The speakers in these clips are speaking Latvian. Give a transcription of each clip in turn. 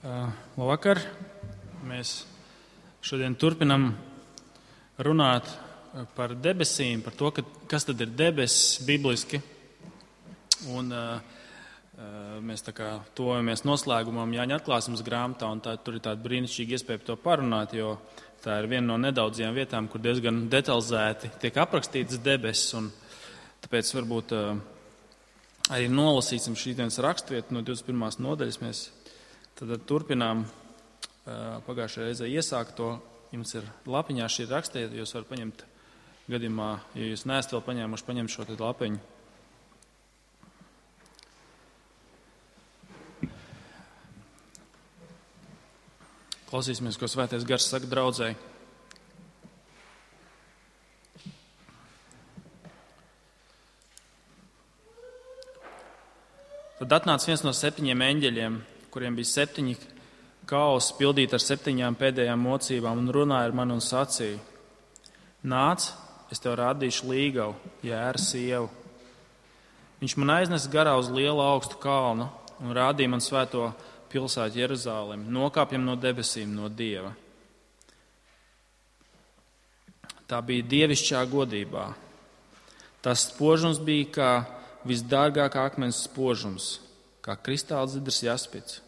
Labvakar! Mēs šodien turpinam runāt par debesīm, par to, kas tad ir debesis bibliski. Un mēs tā kā tojamies noslēgumam Jāņa atklāsmes grāmatā, un tur ir tāda brīnišķīga iespēja par to parunāt, jo tā ir viena no nedaudzajām vietām, kur diezgan detalizēti tiek aprakstītas debesis. Un tāpēc varbūt arī nolasīsim šīs raksturvietu no 21. nodaļas. Mēs tad turpinām pagājušajā reizē iesākt to. Jums ir lapiņā šī rakstiet, jūs varat paņemt gadījumā, ja jūs neesat vēl paņēmuši, paņemt šo lapiņu. Klausīsimies, ko Svētais Gars saka draudzei. Tad atnāca viens no 7 eņģeļiem, kuriem bija 7 kausi pildīti ar 7 pēdējām mocībām, un runāja ar mani un sacīja: Nāc, es tev rādīšu līgavu, Jēra sievu. Viņš man aiznesa garā uz lielu augstu kalnu un rādīja man svēto pilsētu Jeruzalemi, nokāpjam no debesīm, no Dieva. Tā bija dievišķā godībā. Tas spožums bija kā visdārgākā akmens spožums, kā kristāla zidrs jaspits.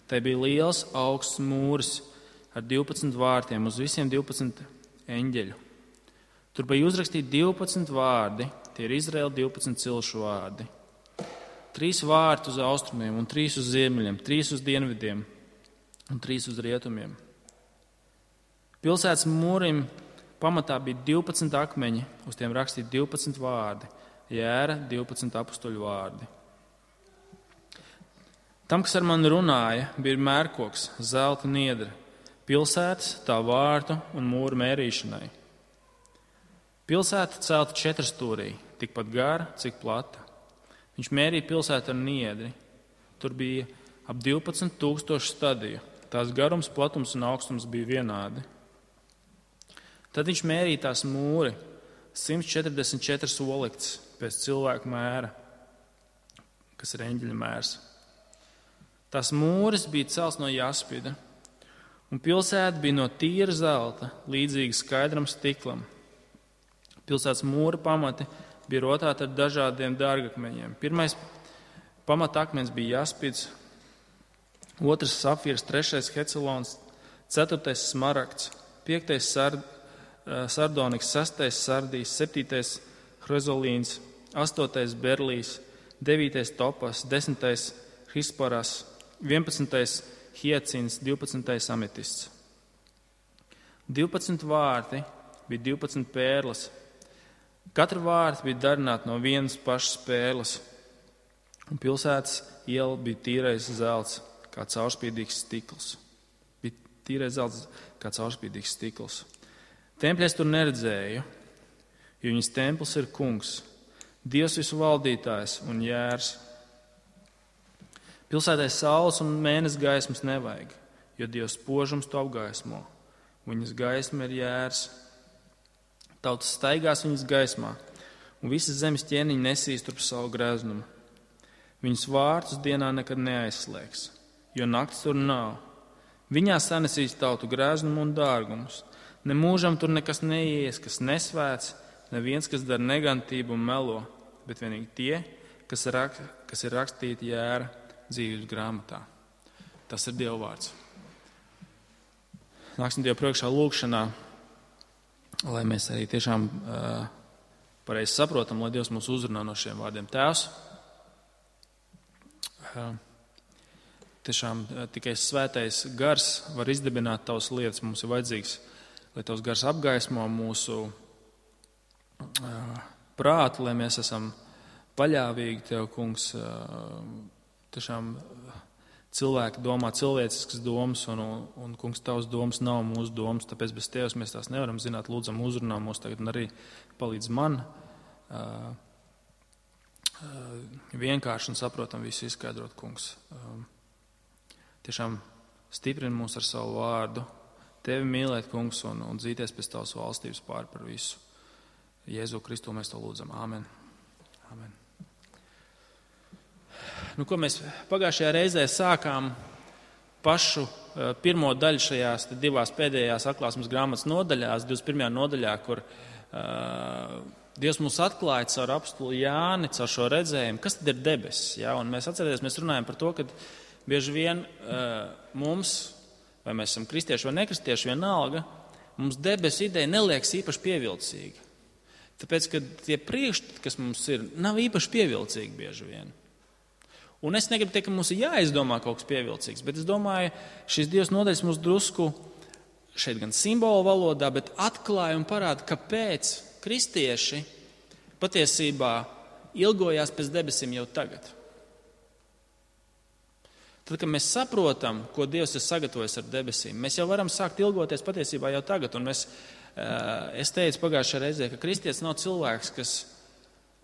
Tai bija liels augsts mūris ar 12 vārtiem uz visiem 12 eņģeļu. Tur bija uzrakstīti 12 vārdi, tie ir Izraēla 12 cilšu vārdi. 3 vārti uz austrumiem un 3 uz ziemeļiem, 3 uz dienvidiem un 3 uz rietumiem. Pilsētas mūrim pamatā bija 12 akmeņi, uz tiem rakstīti 12 vārdi, Jēra 12 apustuļu vārdi. Tam, kas ar mani runāja, bija mērkoks, zelta niedre, pilsētas, tā vārtu un mūru mērīšanai. Pilsēta celta 4 stūrī, tikpat gara, cik plata. Viņš mērīja pilsētu ar niedri. Tur bija ap 12,000 stadiju. Tās garums, platums un augstums bija vienādi. Tad viņš mērīja tās mūri 144 olikts pēc cilvēku mēra, kas ir eņģeļa mērs. Tās mūris bija celts no jaspida, un pilsēta bija no tīra zelta, līdzīga skaidram stiklam. Pilsētas mūra pamati bija rotāti ar dažādiem dārgakmeņiem. Pirmais pamatakmens bija jaspids, 2. safīrs, 3. hecelons, 4. smaragds, 5. sardoniks, 6. sardīs, 7. hrozolīns, 8. berlīs, 9. topas, 10. hisporas, 11. hiacins, 12. ametists. 12 vārti bija 12 pērles. Katra vārta bija darināta no vienas pašas pērles, un pilsētas iela bija tīrais zelts, kā caurspīdīgs stikls. Templi es tur neredzēju, jo viņas templis ir kungs, Dievs visu valdītājs un Jērs. Pilsētai saules un mēness gaismas nevajag, jo Dievs spožums to apgaismo. Viņas gaisma ir Jērs. Tautas staigās viņas gaismā, un visas zemes ķēniņi nesīs turp savu greznumu. Viņas vārtus dienā nekad neaizslēgs, jo nakts tur nav. Viņā sanesīs tautu greznumu un dārgumus. Ne mūžam tur nekas neies, kas nesvēts, neviens, kas dara negantību un melo, bet vienīgi tie, kas ir rakstīti Jēra dzīvības grāmatā. Tas ir Dieva vārds. Nāksim Dievu priekšā lūgšanā, lai mēs arī tiešām pareizi saprotam, lai Dievs mūs uzrunā no šiem vārdiem. Tēvs, tiešām tikai svētais gars var izdibināt tavas lietas. Mums ir vajadzīgs, lai tavs gars apgaismo mūsu prātu, lai mēs esam paļāvīgi tev, kungs. Tiešām cilvēki domā cilvēciskas domas, un kungs, tavs domas nav mūsu domas, tāpēc bez tevis mēs tās nevaram zināt. Lūdzam, uzrunā mūs tagad un arī palīdz man vienkārši un saprotam visu izskaidrot, kungs. Tiešām stiprini mūs ar savu vārdu, tevi mīlēt, kungs, un dzīties pēc tavas valstības pār par visu. Jēzu Kristu mēs to lūdzam. Āmen. Āmen. Ko mēs pagājušajā reizē sākām pašu pirmo daļu šajās divās pēdējās atklāsmes grāmatas nodaļās, 21. nodaļā, kur Dievs mums atklāja caur apostuli Jāni, caur šo redzējumu, kas tad ir debesis. Ja? Un mēs runājam par to, ka bieži vien mums, vai mēs esam kristieši vai nekristieši, vienalga, mums debesu ideja neliekas īpaši pievilcīga. Tāpēc, ka tie priekšstati, kas mums ir, nav īpaši pievilcīgi bieži vien. Un es negribu teikt, ka mums ir jāizdomā kaut kas pievilcīgs, bet es domāju, šīs divas nodaļas mums drusku šeit gan simbolu valodā, bet atklāja un parāda, kāpēc kristieši patiesībā ilgojās pēc debesīm jau tagad. Tad, kad mēs saprotam, ko Dievs ir sagatavojis ar debesīm, mēs jau varam sākt ilgoties patiesībā jau tagad. Un es teicu pagājušajā reizē, ka kristietis nav cilvēks, kas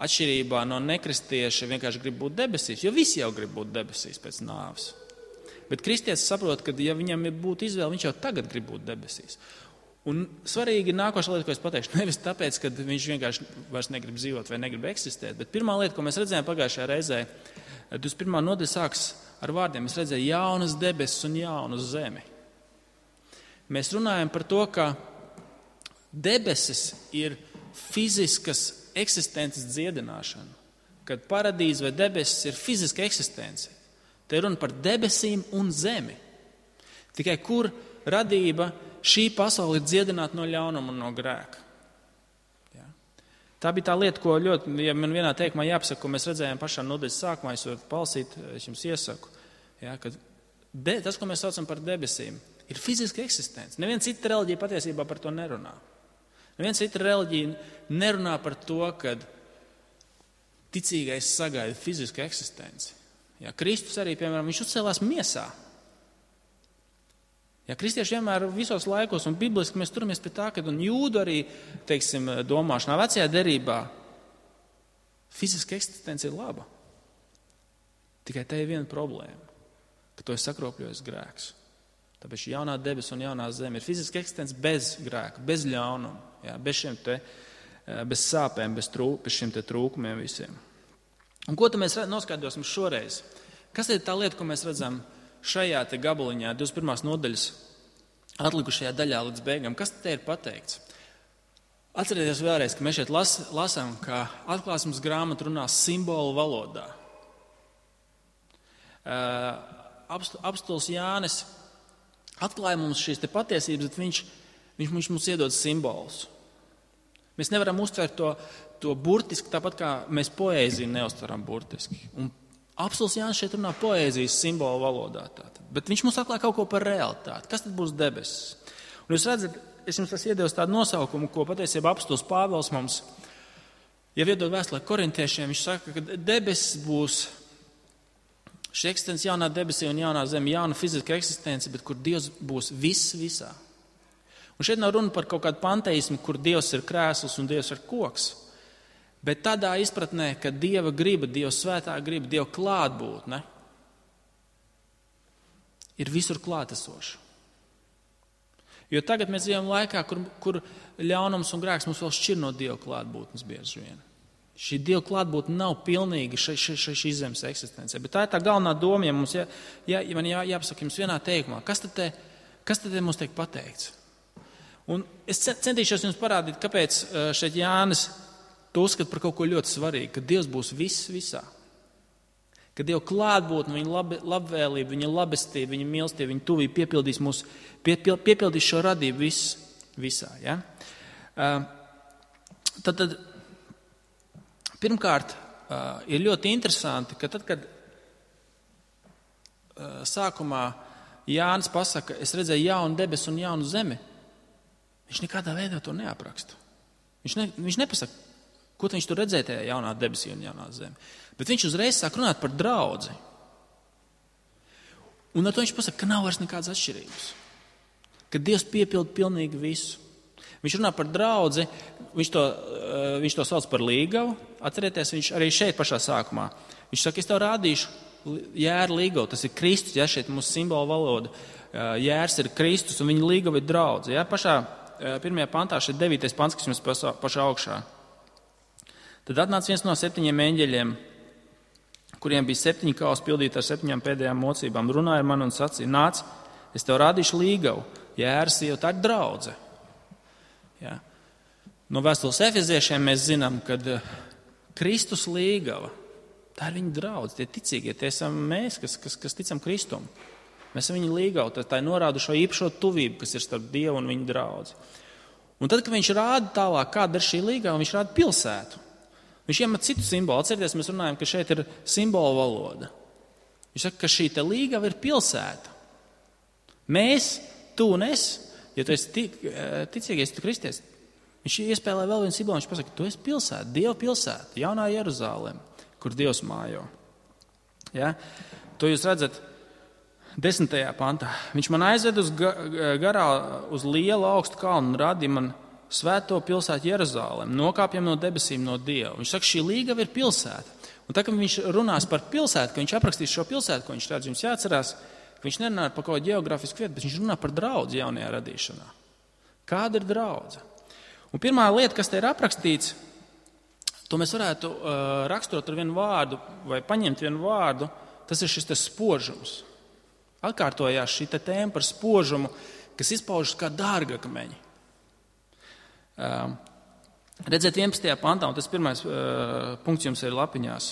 atšķirībā no nekristieša vienkārši grib būt debesīs, jo visi jau grib būt debesīs pēc nāves. Bet kristietis saprot, ka ja viņam būtu izvēle, viņš jau tagad grib būt debesīs. Un svarīgi nākošā lieta, ko es pateikšu, nevis tāpēc, ka viņš vienkārši vairs negrib dzīvot vai negrib eksistēt, bet pirmā lieta, ko mēs redzējām pagājušajā reizē, 21. nodaļa sāks ar vārdiem, mēs redzējām jaunas debesis un jaunu zemi. Mēs runājam par to, ka debesis ir fiziskas eksistences dziedināšana, kad paradīze vai debesis ir fiziska eksistence. Te ir runa par debesīm un zemi. Tikai kur radība šī pasaule ir dziedināta no ļaunuma un no grēka. Ja? Tā bija tā lieta, ko ļoti, ja man vienā teikumā jāpasaka, ko mēs redzējām pašā nodaļas sākumā, es varu palasīt, es jums iesaku, ja, ka tas, ko mēs saucam par debesīm, ir fiziska eksistence. Neviena cita reliģija patiesībā par to nerunā. Neviena cita reliģija nerunā par to, ka ticīgais sagaida fizisku eksistenci. Ja, Kristus arī, piemēram, viņš uzcēlās miesā. Ja, kristieši vienmēr visos laikos un bibliski mēs turamies pie tā, ka un jūdu arī, teiksim, domāšanā vecajā derībā fiziska eksistence ir laba. Tikai te ir viena problēma, ka to ir sakropļojis grēks. Tāpēc jaunā debes un jaunā zeme ir fiziska eksistence bez grēka, bez ļaunuma, ja, bez sāpēm, bez šiem te trūkumiem visiem. Un ko tad mēs noskaidrosim šoreiz? Kas ir tā lieta, ko mēs redzam šajā te gabaliņā, 21. nodaļas atlikušajā daļā līdz beigām? Kas te ir pateikts? Atcerieties vēlreiz, ka mēs šeit lasām, ka atklāsmes grāmata runā simbolu valodā. Apostols Jānis atklāja mums šīs te patiesības, bet viņš mums iedod simbolus. Mēs nevaram uztvert to burtiski, tāpat kā mēs poēziju neuztveram burtiski. Un apostols Jānis šeit runā poēzijas simbolu valodā. Tātad. Bet viņš mums atklāja kaut ko par realitāti. Kas tad būs debesis? Un jūs redzat, es jums esmu iedevis tādu nosaukumu, ko patiesībā apostols Pāvils mums jau iedod vēstulē korintiešiem. Viņš saka, ka debesis būs šī eksistence jaunā debesī un jaunā zeme, jauna fiziska eksistence, bet kur Dievs būs viss visā. Un šeit nav runa par kaut kādu panteismu, kur Dievs ir krēsls un Dievs ir koks. Bet tādā izpratnē, ka Dieva griba, Dieva svētā griba, Dieva klātbūtne ir visur klātesoša. Jo tagad mēs dzīvojam laikā, kur ļaunums un grēks mums vēl šķir no Dieva klātbūtnes bieži vien. Šī Dieva klātbūtne nav pilnīga šī zemes eksistencē. Bet tā ir tā galvenā doma, ja mums man jāpasaka jums vienā teikumā. Kas tad mums tiek pateikts? Un es centīšos jums parādīt, kāpēc šeit Jānis to uzskata par kaut ko ļoti svarīgu, ka Dievs būs viss visā. Ka Dieva klātbūtne, viņa labvēlība, viņa labestība, viņa mīlestība, viņa tuvība piepildīs šo radību visā. Ja? Tad pirmkārt ir ļoti interesanti, ka tad, kad sākumā Jānis pasaka, es redzēju jaunu debesu un jaunu zemi, viņš nekādā veidā to neapraksta. Viņš nepasaka, ko viņš tur redzēja tajā jaunā debesī un jaunā zemi. Bet viņš uzreiz sāk runāt par draudzi. Un ar to viņš pasaka, ka nav vairs nekādas atšķirības. Ka Dievs piepilda pilnīgi visu. Viņš runā par draudzi, viņš to sauc par līgavu. Atcerieties, viņš arī šeit pašā sākumā. Viņš saka, es tev rādīšu jēru līgavu. Tas ir Kristus, ja šeit mūsu simbolu valoda. Jērs ir Kristus un viņa līgava ir draudze. Ja? Pašā 1. pantā, šeit 9. pants, kas jums pašā augšā. Tad atnāca viens no 7 eņģeļiem, kuriem bija 7 kausi pildīti ar 7 pēdējām mocībām, runāja ar mani un sacīja: nāc, es tev rādīšu līgavu, Jēras sieva, tā ir draudze. Ja? No vēstules Efeziešiem mēs zinām, ka Kristus līgava, tā ir viņa draudze, tie ticīgie, tie esam mēs, kas ticam Kristum. Mēs esam viņa līgavu, tā ir norāda šo īpašo tuvību, kas ir starp Dievu un viņa draudzi. Un tad, kad viņš rāda tālāk, kāda ir šī līgava, viņš rāda pilsētu. Viņš iemet citu simbolu. Atcerieties, mēs runājam, ka šeit ir simbolu valoda. Viņš saka, ka šī te līgava ir pilsēta. Mēs, tu un es, ja tu esi ticīgais, tu kristietis, viņš iespēlē vēl vienu simbolu. Viņš pasaka, tu esi pilsēta, Dieva pilsēta, jaunā Jeruzaleme, kur Dievs mājo. Ja? To jūs redzat 10. pantā. Viņš man aizved uz garā uz lielu augstu kalnu un rādīja man svēto pilsētu Jeruzalemi, nokāpjam no debesīm no Dieva. Viņš saka, šī līgava ir pilsēta. Un tā, kad viņš runās par pilsētu, ka viņš aprakstīs šo pilsētu, ko viņš redz, jums jāatcerās, ka viņš nerunā par kaut kādu geogrāfisku vietu, bet viņš runā par draudzi jaunajā radīšanā. Kāda ir draudze? Un pirmā lieta, kas te ir aprakstīts, to mēs varētu raksturot ar vienu vārdu vai paņemt vienu vārdu, tas ir šis te spožums. Atkārtojās šī tēma par spožumu, kas izpaužas kā dārgakmeņi. Redziet 11. pantā, un tas pirmais punkts jums ir lapiņās.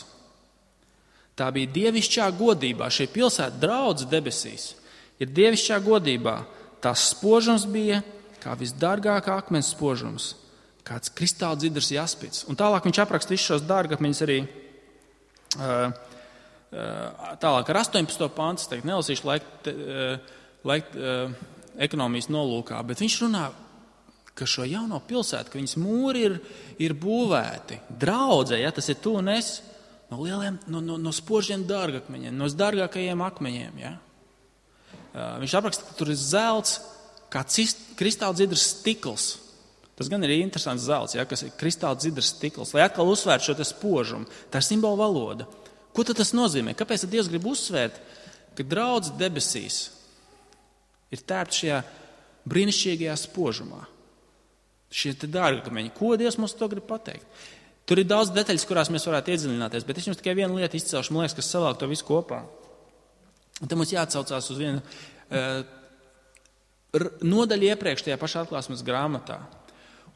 Tā bija dievišķā godībā, šī pilsēta draudze debesīs, ir dievišķā godībā. Tās spožums bija kā visdārgākā akmens spožums, kāds kristāla dzidrs jaspits. Un tālāk viņš apraksta visus šos dārgakmeņus arī tālāk ar 18. pantu, es nelasīšu laika ekonomijas nolūkā, bet viņš runā, ka šo jauno pilsētu, ka viņas mūri ir būvēti. Draudze, ja tas ir tu un es, no spožiem dārgakmeņiem, no dārgākajiem akmeņiem. Ja? Viņš apraksta, ka tur ir zelts, kā kristāla dzidrs stikls. Tas gan ir interesants zelts, ja, kas ir kristāla dzidrs stikls, lai atkal uzsvērtu šo te spožumu. Tā ir simbola valoda. Ko tad tas nozīmē? Kāpēc tad Dievs grib uzsvērt, ka draudze debesīs ir tērpta šajā brīnišķīgajā spožumā? Šie te dārgakmeņi. Ko Dievs mums to grib pateikt? Tur ir daudz detaļas, kurās mēs varētu iedziļināties, bet es jums tikai vienu lietu izcelšu, man liekas, kas savāk to visu kopā. Un te mums jāatsaucās uz vienu nodaļu iepriekš tajā pašā atklāsmes grāmatā.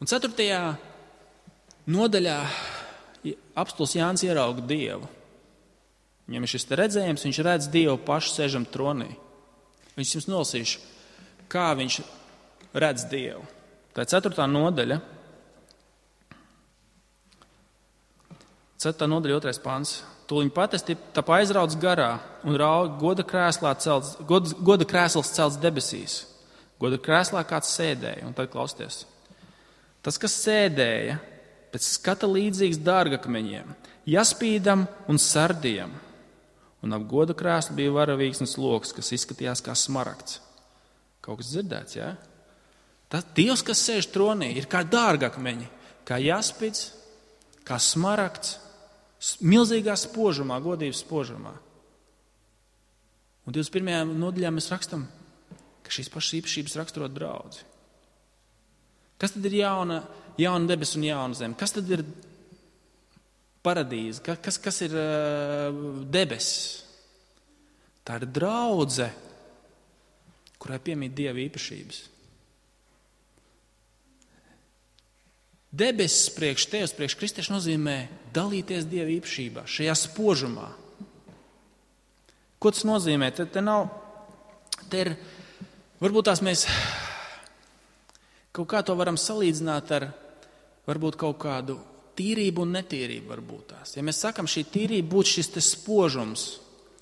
Un 4. nodaļā apstulis Jānis ierauga Dievu. Viņam ir šis redzējums, viņš redz Dievu pašu sēžam tronī. Viņš jums nolasīšu, kā viņš redz Dievu. Tā ir 4. nodaļa. 4. nodaļa 2. pants. Tūliņ pat es tāpā aizrauc garā un raugu goda krēsls celts debesīs. Goda krēslā kāds sēdēja, un tad klausties. Tas, kas sēdēja, pēc skata līdzīgs dārgakmeņiem, jaspīdam un sardiem. Un ap goda krēslu bija varavīksnes loks, kas izskatījās kā smaragds. Kaut kas dzirdēts, jā? Tas Dievs, kas sēž tronī, ir kā dārgakmeņi, kā jaspīds, kā smaragds, milzīgā spožumā, godības spožumā. Un 21. nodaļā mēs rakstam, ka šīs pašas īpašības raksturo draudzi. Kas tad ir jauna debes un jauna zeme? Kas tad ir paradīze? Kas ir debesis? Tā ir draudze, kurai piemīt Dieva īpašības. Debesis priekš tevis, priekš kristiešu nozīmē dalīties Dieva īpašībā, šajā spožumā. Ko tas nozīmē? Te ir, varbūt tās mēs kaut kā to varam salīdzināt ar varbūt kaut kādu tīrību un netīrību varbūt tās. Ja mēs sakam, šī tīrība būtu šis te spožums,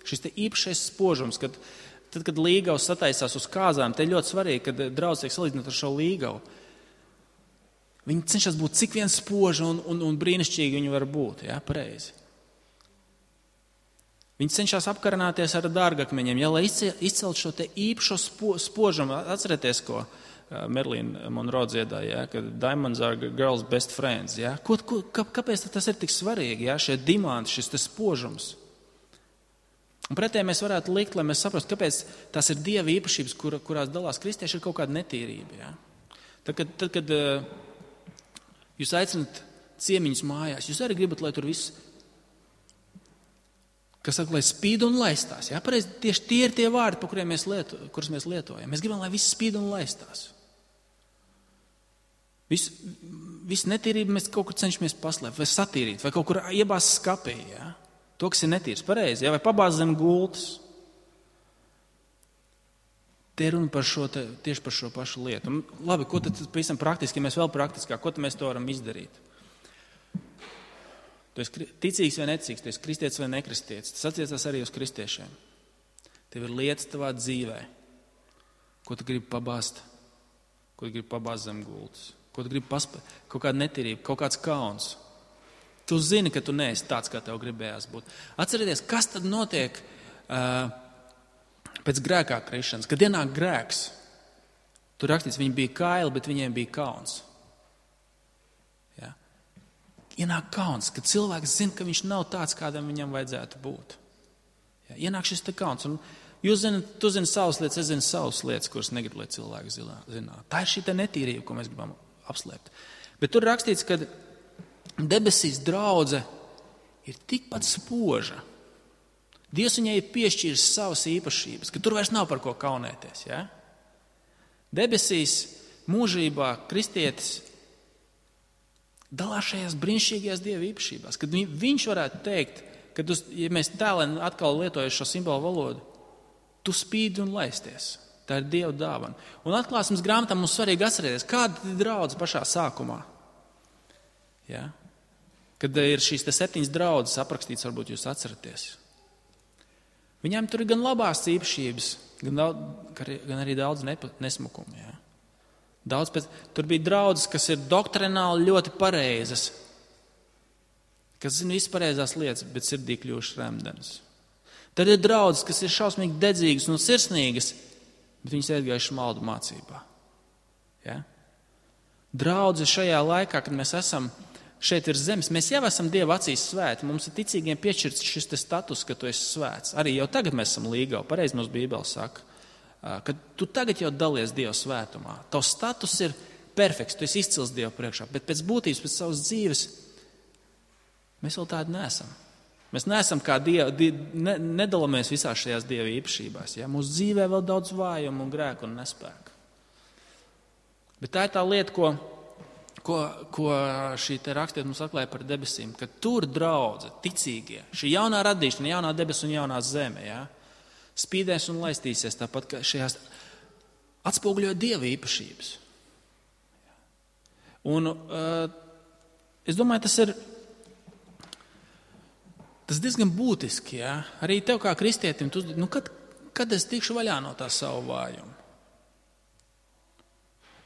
šis te īpašais spožums, kad līgavs sataisās uz kāzām, te ir ļoti svarīgi, kad draudz tiek salīdzināt ar šo līgavu. Viņi cenšas būt cik vien spoži un brīnišķīgi viņi var būt, jā, pareizi. Viņi cenšas apkarināties ar dārgakmeņiem, ja, lai izcelt šo te īpašo spožumu. Atcerieties, ko Merlīna Monroe dziedāja, ja, ka diamonds are girls best friends. Ja. Kāpēc tas ir tik svarīgi, ja, šie diamanti, šis te spožums? Un pretēji mēs varētu likt, lai mēs saprastu, kāpēc tās ir Dieva īpašības, kurās dalās kristieši, ir kaut kāda netīrība. Ja. Tad, kad jūs aicinat ciemiņus mājās, jūs arī gribat, lai tur viss kas saka, lai spīd un laistās. Ja? Pareizi, tieši tie ir tie vārdi, kurus mēs lietojam. Mēs gribam, lai viss spīd un laistās. Visu netīrību mēs kaut kur cenšamies paslēpt, vai satīrīt, vai kaut kur iebāzt skapī. Ja? To, kas ir netīrs, pareizi, ja? Vai pabāzt zem gultas. Te ir runa tieši par šo pašu lietu. Un, labi, ko tad pavisam praktiski, ja mēs vēl praktiskāk, ko tad mēs to varam izdarīt? Tu esi ticīgs vai neticīgs, tu esi kristietis vai nekristietis. Tas attiecās arī uz kristiešiem. Tev ir lietas tavā dzīvē, ko tu gribi pabāzt, zem gultas, ko tu gribi paspēt, kaut kāda netīrība, kaut kāds kauns. Tu zini, ka tu neesi tāds, kā tev gribējās būt. Atcerieties, kas tad notiek pēc grēkā krišanas, kad ienāk grēks. Tur rakstīts, viņi bija kaili, bet viņiem bija kauns. Ja? Ienāk kauns, kad cilvēks zina, ka viņš nav tāds, kādam viņam vajadzētu būt. Ja? Ienāk šis te kauns. Un tu zini savas lietas, es zinu savas lietas, kuras negribu, lai cilvēki zinātu. Tā ir šī te netīrība, ko mēs gribam apslēpt. Bet tur rakstīts, ka debesīs draudze ir tikpat spoža. Dievs viņai ir piešķīris savas īpašības, ka tur vairs nav par ko kaunēties. Ja? Debesīs mūžībā kristietis dalās šajās brīnišķīgajās Dieva īpašībās, kad viņš varētu teikt, kad ja mēs tēlēm atkal lietojam šo simbolu valodu, tu spīdi un laisties. Tā ir Dieva dāvana. Un atklāsmes grāmatā mums svarīgi atcerēties, kāda ir draudze pašā sākumā. Ja? Kad ir šīs 7 draudzes aprakstīts, varbūt jūs atceraties. Viņām tur ir gan labās īpašības, gan arī daudz nesmukumu. Ja? Tur bija draudzes, kas ir doktrināli ļoti pareizas, kas zina visas pareizās lietas, bet sirdī kļuvušas remdenas. Tad ir draudzes, kas ir šausmīgi dedzīgas un sirsnīgas, bet viņas iegājušas maldu mācībā. Ja? Draudze šajā laikā, kad mēs esam šeit ir zemes, mēs jau esam Dieva acīs svēti. Mums ir ticīgiem piešķirts šis status, ka tu esi svēts. Arī jau tagad mēs esam līgavi. Pareizi mums Bībele saka, ka tu tagad jau dalies Dieva svētumā. Tavs status ir perfekts, tu esi izcils Dieva priekšā, bet pēc būtības, pēc savas dzīves, mēs vēl tādi neesam. Mēs neesam kā nedalāmies visās šajās Dieva īpašībās. Ja? Mūsu dzīvē vēl daudz vājumu un grēku un nespēku. Bet tā ir tā lieta, ko šī te rakstiet mums atklāja par debesīm, ka tur draudze, ticīgie, šī jaunā radīšana, jaunā debesu un jaunā zeme, ja, spīdēs un laistīsies tāpat, ka šajās atspoguļo Dieva īpašības. Un es domāju, tas diezgan būtiski, ja, arī tev kā kristietim, kad es tikšu vaļā no tā savu vājumu?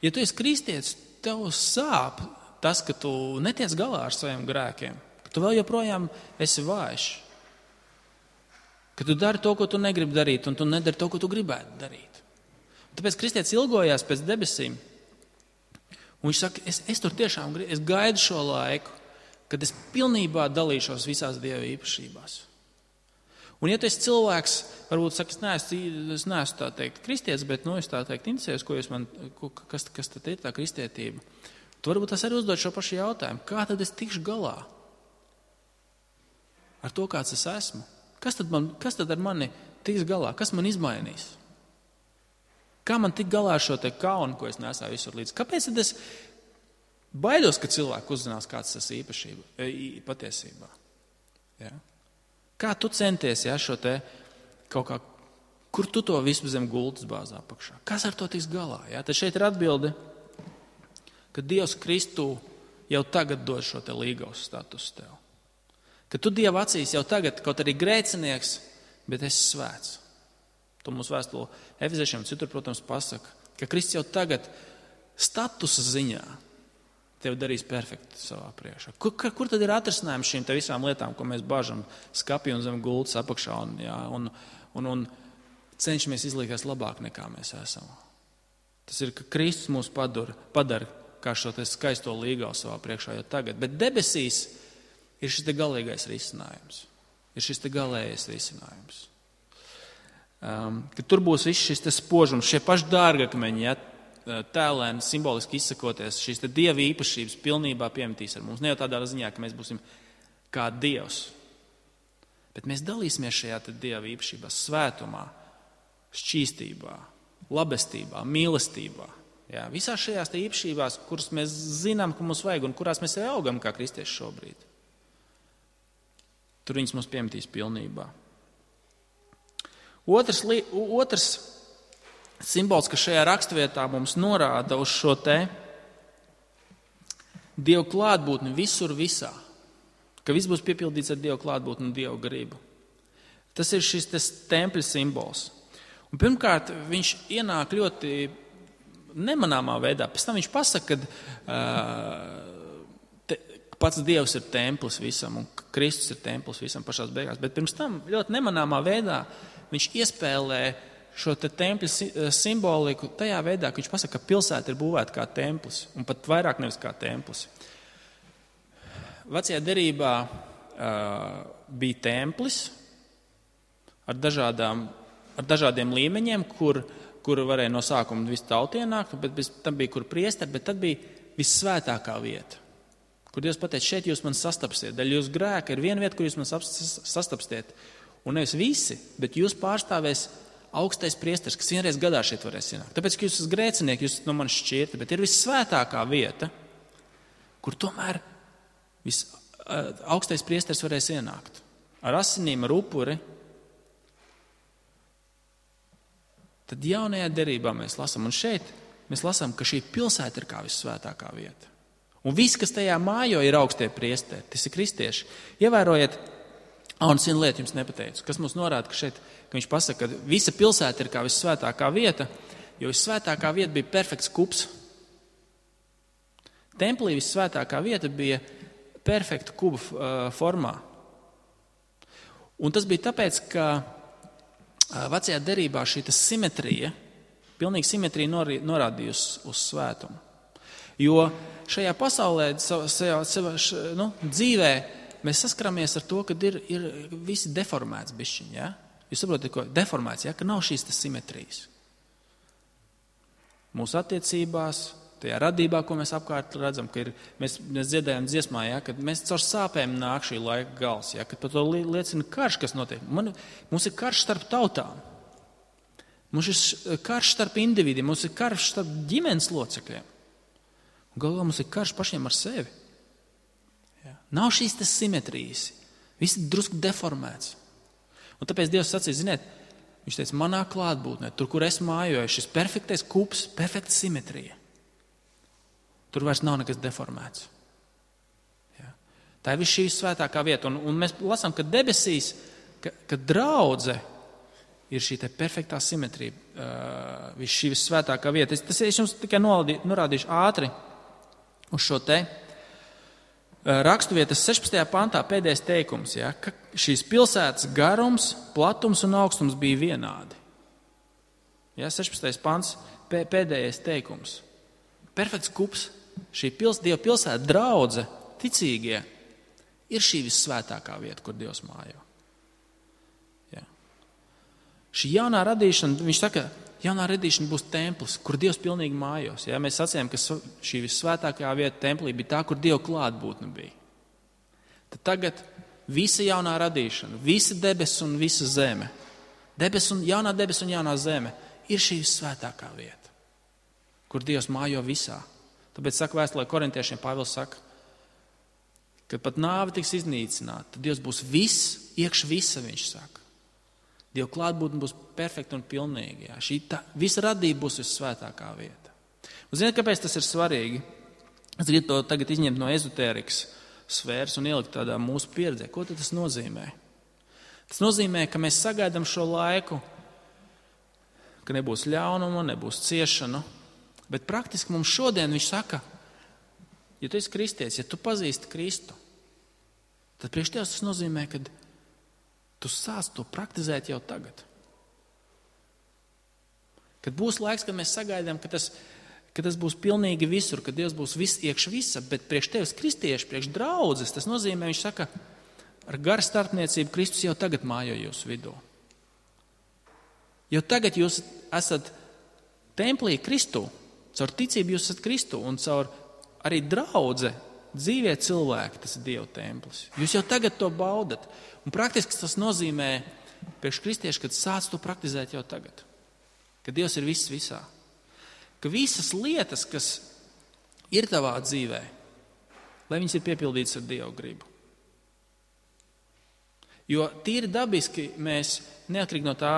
Ja tu esi kristietis, tev sāp tas, ka tu netiec galā ar saviem grēkiem, ka tu vēl joprojām esi vājš, ka tu dari to, ko tu negribi darīt, un tu nedari to, ko tu gribētu darīt. Tāpēc kristietis ilgojās pēc debesīm, un viņš saka, es tur tiešām es gaidu šo laiku, kad es pilnībā dalīšos visās Dieva īpašībās. Un ja tu esi cilvēks, varbūt saka, es neesmu tā teikt kristietis, bet es tā teikt interesējos, kas tad ir tā kristietība. Tu varbūt tas arī uzdod šo pašu jautājumu. Kā tad es tikšu galā ar to, kāds es esmu? Kas tad ar mani tiks galā? Kas man izmainīs? Kā man tik galā ar šo te kaunu, ko es nesāju visur līdz? Kāpēc tad es baidos, ka cilvēki uzzinās, kāds tas īpašība patiesībā? Ja? Kā tu centies, ja, šo te kaut kā, kur tu to visu zem gultas bāzā apakšā? Kas ar to tiks galā? Ja? Tad šeit ir atbilde, ka Dievs Kristū jau tagad dod šo te līgavas statusu tev. Ka tu Dieva acīs jau tagad, kaut arī grēcinieks, bet esi svēts. To mums vēstule Efeziešiem citur, protams, pasaka, ka Kristus jau tagad statusa ziņā tevi darīs perfekti savā priekšā. Kur tad ir atrisinājums šīm te visām lietām, ko mēs bažam skapī un zem gultas apakšā un cenšamies izlikties labāk nekā mēs esam? Tas ir, ka Kristus mūs padara kā šo te skaisto līgavu savā priekšā jau tagad. Bet debesīs ir šis te galīgais risinājums. Ir šis te galējais risinājums. Ka tur būs viss šis te spožums, šie paši dārgakmeņi, ja, tēlēni, simboliski izsakoties, šīs te Dieva īpašības pilnībā piemetīs ar mums. Ne jau tādā ziņā, ka mēs būsim kā Dievs, Bet mēs dalīsimies šajā Dieva īpašībā, svētumā, šķīstībā, labestībā, mīlestībā. Jā, visās šajās īpašībās, kuras mēs zinām, ka mums vajag un kurās mēs arī augam kā kristieši šobrīd. Tur viņas mums piemetīs pilnībā. Otrs simbols, kas šajā raksturvietā mums norāda uz šo te Dieva klātbūtni visur visā. Ka viss būs piepildīts ar Dieva klātbūtni un Dieva gribu. Tas ir šis tempļa simbols. Un pirmkārt, viņš ienāk ļoti nemanāmā veidā. Pēc tam viņš pasaka, ka pats Dievs ir templis visam un Kristus ir templis visam pašās beigās. Bet pirms tam ļoti nemanāmā veidā viņš iespēlē šo tempļa simboliku tajā veidā, ka viņš pasaka, ka pilsēta ir būvēta kā templis un pat vairāk nevis kā templis. Vecajā derībā bija templis ar dažādiem līmeņiem, kur varēja no sākuma visu tautu ienākt, bet tam bija kur priesteri, bet tad bija vissvētākā vieta, kur Dievs pateica, šeit jūs man sastapsiet. Daļa jūsu grēka ir viena vieta, kur jūs man sastapsiet. Un nevis visi, bet jūs pārstāvēs augstais priesteris, kas vienreiz gadā šeit varēs ienākt. Tāpēc, ka jūs esat grēcinieki, jūs esat no manis šķirti, bet ir vissvētākā vieta, kur tomēr augstais priesteris varēs ienākt. Ar asinīm, ar upuri. Tad jaunajā derībā mēs lasām, un šeit mēs lasām, ka šī pilsēta ir kā vissvētākā vieta. Un viss, kas tajā mājo, ir augstie priesteri, tas ir kristieši. Ievērojiet, un viena lieta jums nepateicu, kas mums norāda, ka viņš pasaka, ka visa pilsēta ir kā vissvētākā vieta, jo vissvētākā vieta bija perfekts kups. Templī vissvētākā vieta bija perfekta kuba formā. Un tas bija tāpēc, ka vecajā derībā šī simetrija, pilnīga simetrija norādījusi uz svētumu. Jo šajā pasaulē, dzīvē, mēs saskaramies ar to, ka ir visi deformēts bišķiņi. Ja? Jūs saprotat, ko deformēts, ja? Ka nav šīs simetrijas. Mūsu attiecībās, tajā radībā, ko mēs apkārt redzam, ka mēs dziedājam dziesmā, ja? Kad mēs caur sāpēm nāk šī laika gals, ja? Kad par to liecina karš, kas notiek. Mums ir karš starp tautām. Mums ir karš starp individiem, mums ir karš starp ģimenes locekļiem. Galvā mums ir karš pašiem ar sevi. Ja. Nav šīs simetrijas. Viss ir drusku deformēts. Un tāpēc Dievs sacīja, ziniet, viņš teica, manā klātbūtnē, tur, kur es mājoju, šis perfektais kups, perfekta simetrija. Tur vairs nav nekas deformēts. Ja. Tā ir viss šī svētākā vieta. Un mēs lasām, ka debesīs, ka draudze ir šī perfektā simetrija, viss šī vissvētākā vieta. Es jums tikai norādīšu ātri uz šo te raksturvietas 16. pantā pēdējais teikums, ja, ka šīs pilsētas garums, platums un augstums bija vienādi. Ja, 16. pants, pēdējais teikums. Perfekts kups, šī Dieva pilsēta, draudze, ticīgie, ir šī vissvētākā vieta, kur Dievs mājo. Ja. Šī jaunā radīšana, viņš saka, jaunā radīšana būs templis, kur Dievs pilnīgi mājos. Ja? Mēs sacījām, ka šī vissvētākā vieta templī bija tā, kur Dieva klātbūtne bija. Tad tagad visa jaunā radīšana, visa debesis un visa zeme, jaunā debesis un jaunā zeme ir šī vissvētākā vieta, kur Dievs mājo visā. Tāpēc saka vēstulē korintiešiem, Pāvils saka, kad pat nāve tiks iznīcināta, tad Dievs būs viss, iekš visa, viņš saka. Dieva klātbūtne būs perfekta un pilnīga. Visa radība būs vissvētākā vieta. Un ziniet, kāpēc tas ir svarīgi? Es gribu to tagad izņemt no ezotērikas sfēras un ielikt tādā mūsu pieredzē. Ko tad tas nozīmē? Tas nozīmē, ka mēs sagaidām šo laiku, ka nebūs ļaunuma, nebūs ciešanu, bet praktiski mums šodien viņš saka, ja tu esi kristietis, ja tu pazīsti Kristu, tad priekš tev tas nozīmē, ka tu sāc to praktizēt jau tagad. Kad būs laiks, kad mēs sagaidām, ka tas būs pilnīgi visur, ka Dievs būs viss iekš visa, bet priekš tevis kristieši, priekš draudzes, tas nozīmē, viņš saka, ar garu starpniecību Kristus jau tagad mājo jūsu vidū. Jau tagad jūs esat templī Kristu, caur ticību jūs esat Kristu un caur arī draudze dzīvie cilvēki, tas ir Dieva templis. Jūs jau tagad to baudat. Un praktiski tas nozīmē priekš kristieši, kad sāc to praktizēt jau tagad. Ka Dievs ir viss visā. Ka visas lietas, kas ir tavā dzīvē, lai viņas ir piepildītas ar Dieva gribu. Jo tīri dabiski mēs, neatkarīgi no tā,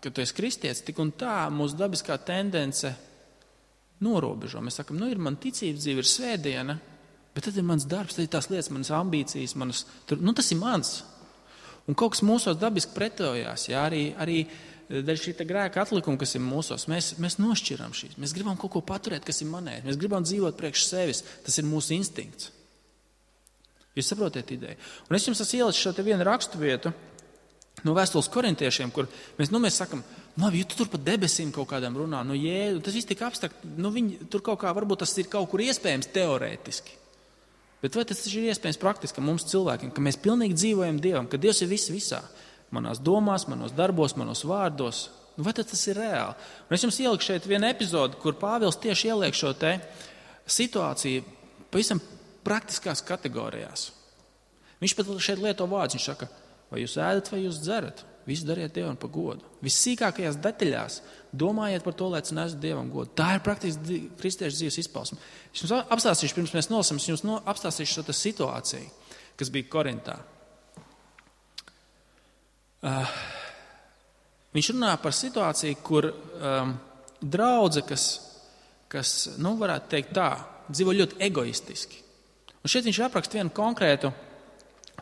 ka tu esi kristietis, tik un tā mūsu dabiskā tendence norobežo. Mēs sakam, ir man ticības dzīve, ir svētdiena, bet tad ir mans darbs, tad ir tās lietas, manas ambīcijas, tas ir mans. Un kaut kas mūsos dabiski pretojās, arī dēļ šī grēka atlikuma, kas ir mūsos, mēs nošķiram šīs. Mēs gribam kaut ko paturēt, kas ir manējs. Mēs gribam dzīvot priekš sevis. Tas ir mūsu instinkts. Jūs saprotiet ideju? Un es jums esmu ielicis šo te vienu rakstu vietu no vēstules korintiešiem, kur mēs sakam, ja tu tur pa debesīm kaut kādam runā, tas viss tik abstrakt, viņi tur kaut kā, varbūt tas ir kaut kur iespējams teorētiski. Bet vai tas ir iespējams praktiski mums cilvēkiem, ka mēs pilnīgi dzīvojam Dievam, ka Dievs ir viss visā, manās domās, manos darbos, manos vārdos, vai tas ir reāli? Un es jums ieliku šeit vienu epizodu, kur Pāvils tieši ieliek šo te situāciju pavisam praktiskās kategorijās. Viņš pat šeit lieto vārdus, viņš saka, vai jūs ēdat, vai jūs dzerat, visu dariet Dievam par godu. Vissīkākajās detaļās domājiet par to, lai tas nesu Dievam godu. Tā ir praktiski kristiešu dzīves izpausme. Es jums apstāstīšu, pirms mēs nolasām, es jums apstāstīšu šo situāciju, kas bija Korintā. Viņš runā par situāciju, kur draudze, kas varētu teikt tā, dzīvo ļoti egoistiski. Un šeit viņš apraksta vienu konkrētu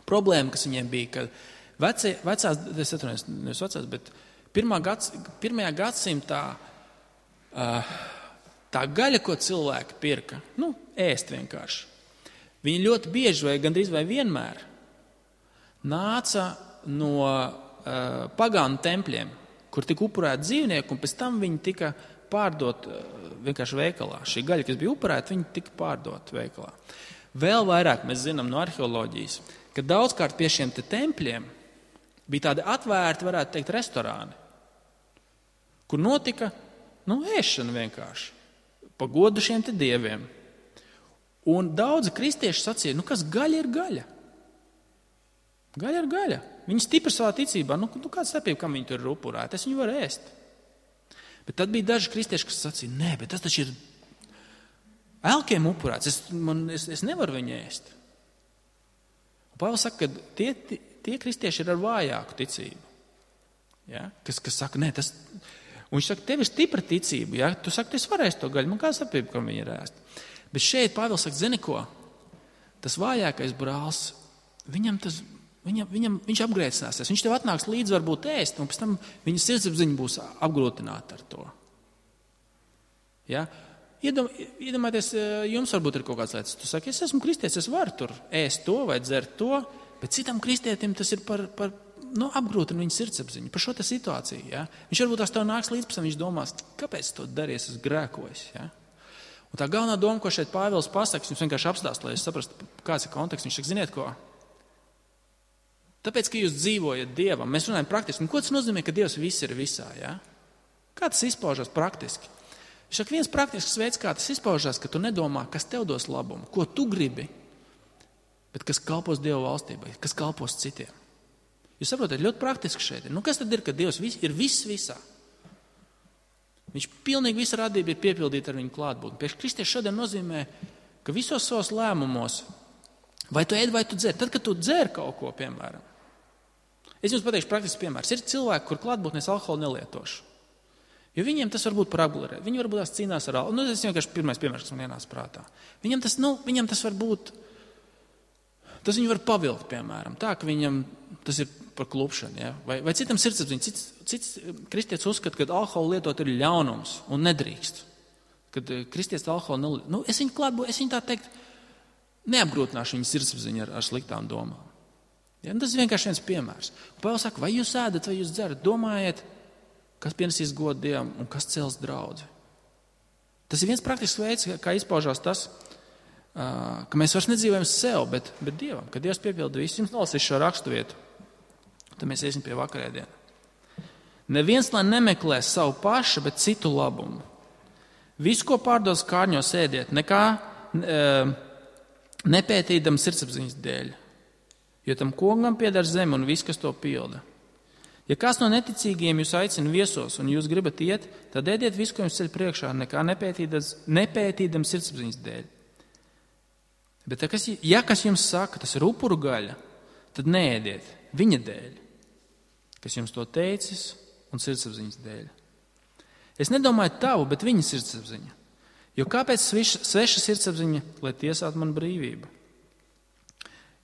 problēmu, kas viņiem bija, kad pirmajā gadsimtā tā gaļa, ko cilvēki pirka, ēst vienkārši. Viņi ļoti bieži vai gandrīz vai vienmēr nāca no pagānu tempļiem, kur tika upurēti dzīvnieki, un pēc tam viņi tika pārdot vienkārši veikalā. Šī gaļa, kas bija upurēta, viņi tika pārdot veikalā. Vēl vairāk mēs zinām no arheoloģijas, ka daudzkārt pie šiem tempļiem bija tādi atvērti, varētu teikt, restorāni, kur notika ēšana vienkārši, pa godu šiem te dieviem. Un daudzi kristieši sacīja, kas gaļa ir gaļa? Gaļa ir gaļa. Viņi stipri savā ticībā, kāda starpība, kam viņi tur ir upurēti, es viņu varu ēst. Bet tad bija daži kristieši, kas sacīja, nē, bet tas taču ir elkiem upurēts, es nevaru viņu ēst. Un Pāvils saka, ka tie kristieši ir ar vājāku ticību. Ja? Kas saka, nē, tas... Un viņš saka, tev ir stipra ticība. Ja? Tu saki, es varēšu to gaļu, man kāda starpība, kam viņi ir ēst. Bet šeit Pāvils saka, zini ko? Tas vājākais brālis, viņš apgrēcināsies. Viņš tev atnāks līdzi varbūt ēst, un pēc tam viņa sirdsapziņa būs apgrūtināta ar to. Ja? Iedomājieties, jums varbūt ir kaut kāds lietas. Tu saki, es esmu kristietis, es varu tur ēst to vai dzert to, bet citam kristietim tas ir par apgrūtina viņa sirdsapziņu, par šo te situāciju. Ja? Viņš varbūt tās tev nāks līdz, pēc tam viņš domās, kāpēc to darījies, es grēkojos. Ja? Un tā galvenā doma, ko šeit Pāvils pasaka, jums vienkārši apstāst, lai es saprastu, kāds ir konteksts. Viņš saka, ziniet ko? Tāpēc, ka jūs dzīvojat Dievam, mēs runājam praktiski. Un ko tas nozīmē, ka Dievs viss ir visā? Ja? Kā tas izpaužas praktiski? Viņš saka, viens praktisks veids, kā tas izpaužās, ka tu nedomā, kas tev dos labumu, ko tu gribi, bet kas kalpos Dieva valstībai, kas kalpos citiem. Jūs saprotat, ļoti praktiski šeit ir. Kas tad ir, ka Dievs ir viss visā? Viņš pilnīgi visa radība ir piepildīta ar viņu klātbūtni. Priekš kristieši šodien nozīmē, ka visos savos lēmumos, vai tu ēd, vai tu dzer, tad, kad tu dzer kaut ko, piemēram. Es jums pateikšu praktisks piemērs. Ir cilvēki, kur klātbūtnēs alkoholu nelietošu. Jo viņiem tas var būt par apgulēt. Viņi varbūt tās cīnās ar alkoholu. Tas ir vienkārši pirmais piemērs, kas man ienāca prātā. Viņam tas var būt, tas viņu var pavilkt, piemēram. Tā, ka viņam tas ir par klupšanu. Ja? Vai citam sirdsapziņa. Cits kristietis uzskata, ka alkoholu lietot ir ļaunums un nedrīkst. Kad kristietis alkoholu nelieto. Es viņu tā teikt, neapgrūtināšu viņu sirdsapziņu ar sliktām domām. Ja? Tas ir vienkārši viens piemērs. Pāvils saka, vai jūs ēdat, vai jūs dzerat, domājiet, kas pienesīs godu Dievam un kas cels draudzi. Tas ir viens praktisks veids, kā izpaužās tas, ka mēs vairs nedzīvojam sev, bet Dievam, ka Dievs piepilda visu. Jums nolasīšu šo rakstu vietu, tad mēs iesim pie vakarēdiena. Neviens lai nemeklē savu pašu, bet citu labumu. Visu, ko pārdos kārņos ēdiet, nekā nepētīdam sirdsapziņas dēļ, jo tam kungam pieder zeme un viss, kas to pilda. Ja kāds no neticīgiem jūs aicina viesos un jūs gribat iet, tad ēdiet visu, ko jums ceļ priekšā, nekā nepētīdam sirdsapziņas dēļ. Bet ja kas jums saka, tas ir upuru gaļa, tad neēdiet viņa dēļ, kas jums to teicis, un sirdsapziņas dēļ. Es nedomāju tavu, bet viņa sirdsapziņa. Jo kāpēc sveša sirdsapziņa, lai tiesātu man brīvību?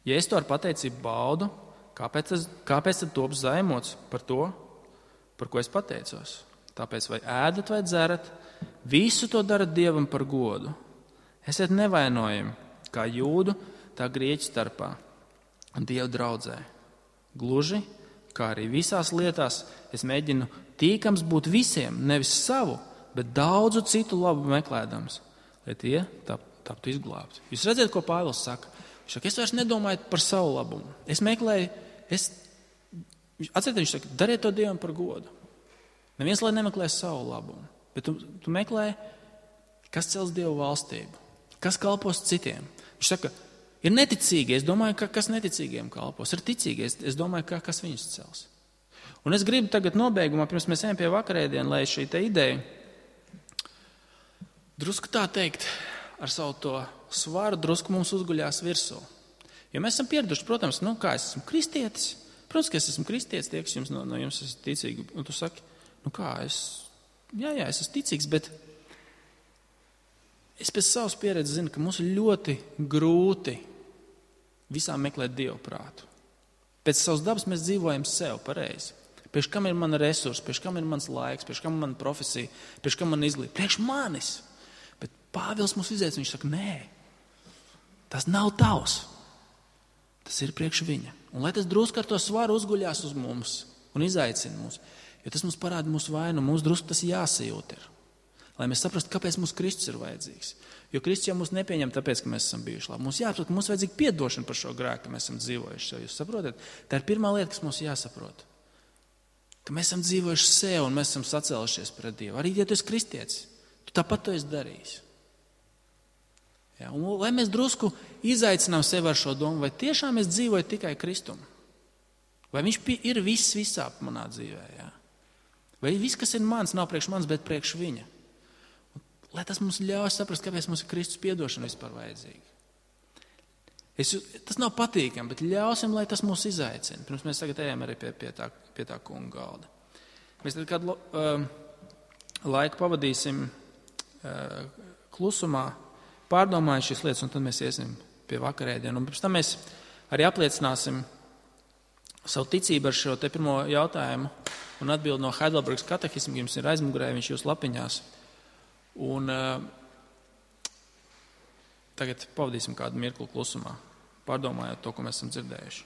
Ja es to ar pateicību baudu, kāpēc tad top zaimots par to, par ko es pateicos? Tāpēc vai ēdat vai dzerat, visu to darat Dievam par godu. Esiet nevainojami, kā jūdu, tā grieķu starpā un Dieva draudzē. Gluži, kā arī visās lietās, es mēģinu tīkams būt visiem, nevis savu, bet daudzu citu labu meklēdams, lai tie taptu izglābti. Jūs redzat, ko Pāvils saka? Viņš saka, es vairs nedomāju par savu labumu. Es meklēju, atcerieties, viņš saka, dariet to Dievam par godu. Neviens, lai nemeklē savu labumu, bet tu meklē, kas cels Dievu valstību, kas kalpos citiem. Viņš saka, ir neticīgi, es domāju, kas neticīgiem kalpos, ir ticīgi, es domāju, kas viņus cels. Un es gribu tagad nobeigumā, pirms mēs ejam pie vakarēdienu, lai šī te ideja drusku tā teikt, ar savu to svaru drusku mums uzguļās virsū. Jo mēs esam pieraduši, protams, kā es esmu kristietis. Protams, ka es esmu kristietis, tie, kas jums no jums esat ticīgi. Un tu saki, es esmu ticīgs, bet es pēc savas pieredzes zinu, ka mums ir ļoti grūti visām meklēt Dievu prātu. Pēc savas dabas mēs dzīvojam sev pareizi. Priekš kam ir mana resursa, priekš kam ir mans laiks, priekš kam ir mana profesija, priekš kam man izglītība, priekš manis. Bet Pāvils mums izaic, viņš saka, nē, tas nav tavs. Tas ir priekš viņa. Un lai tas drusku ar to svaru uzguļās uz mums un izaicina mūs, jo tas mums parāda mūsu vainu, mums drusku tas jāsajūt ir. Lai mēs saprastu, kāpēc mums Kristus ir vajadzīgs. Jo Kristus jau mūs nepieņem tāpēc, ka mēs esam bijuši labi. Mums jāsaprot, ka mums vajadzīga piedošana par šo grēku, ka mēs esam dzīvojuši. Jūs saprotat? Tā ir pirmā lieta, kas mums jāsaprot. Ka mēs esam dzīvojuši sev un mēs esam sacēlušies pret Dievu. Arī, ja tu esi kristietis, tu tāpat to esi darījis. Ja, un lai mēs drusku izaicinām sevi ar šo domu, vai tiešām es dzīvoju tikai Kristumu? Vai viņš ir viss visā manā dzīvē? Ja? Vai viss, kas ir mans, nav priekš mans, bet priekš viņa? Lai tas mums ļauj saprast, kāpēc mums ir Kristus piedošana vispār vajadzīga. Tas nav patīkami, bet ļausim, lai tas mūs izaicina. Pirms mēs tagad ejam arī pie tā kunga galda. Mēs tad kādu laiku pavadīsim klusumā, pārdomājot šīs lietas, un tad mēs iesim pie vakarēdienu. Un pirms tam mēs arī apliecināsim savu ticību ar šo te pirmo jautājumu un atbildi no Heidelbergas katehisma, jums ir aizmugurē, viņš jūs lapiņās. Un tagad pavadīsim kādu mirkli klusumā, pārdomājot to, ko mēs esam dzirdējuši.